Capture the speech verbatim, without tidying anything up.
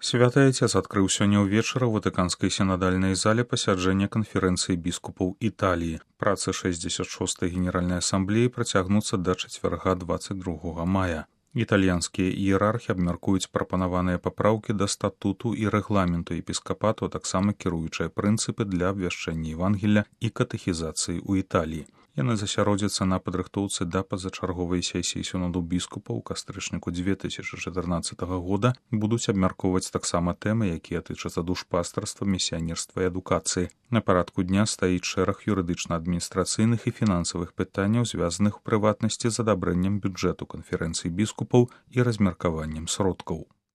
Святы Отец адкрыў сёння ўвечары ў ватыканскай сінадальнай зале пасяджэння канферэнцыі біскупаў Італіі. Працы шэсцьдзесят шостай генеральнай асамблеі працягнуцца да чацвярга дваццаць другога мая. Італьянскія іерархі абмяркуюць прапанаваныя папраўкі да статуту і рэгламенту епіскапату, а таксама кіруючыя прынцыпы для абвяшчэння Евангелля і катэхізацыі ў Італіі. Яны засяродзяцца на падрыхтоўцы да пазачарговай сесіі сіноду біскупаў у кастрычніку дзве тысячы чатырнаццатага года, будуць абмяркоўваць таксама тэмы, якія тычацца душпастарства, місіянерства і адукацыі. На парадку дня стаіць шэраг юрыдычна-адміністрацыйных і фінансавых пытанняў, звязаных у прыватнасці з адабрэннем бюджэту канферэнцыі біскупаў і размеркаваннем сродкаў.